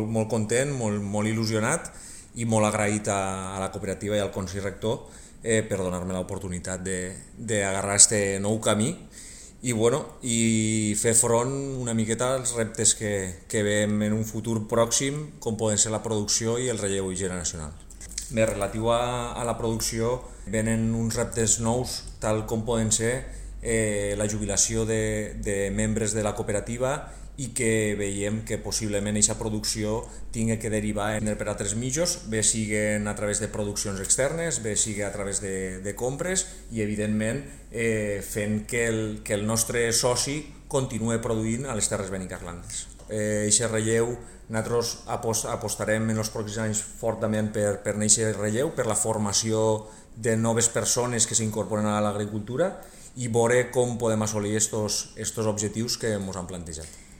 Molt content, molt il·lusionat i molt agraït a la cooperativa i al Consell Rector per donar-me l'oportunitat d'agarrar este nou camí i fer front una miqueta als reptes que veiem en un futur pròxim, com poden ser la producció i el relleu generacional. Bé, relatiu a la producció, venen uns reptes nous, tal com poden ser la jubilació de membres de la cooperativa i que veiem que possiblement aquesta producció tingui que derivar per altres mitjans, bé siguen a través de produccions externes, bé sigui a través de compres i evidentment fent que el nostre soci continuï produint a les Terres Benicarlandes. Aquest relleu, nosaltres apostarem en els pròxims anys fortament per aquest relleu, per la formació de noves persones que s'incorporen a l'agricultura i veure com podem assolir aquests objectius que ens han plantejat.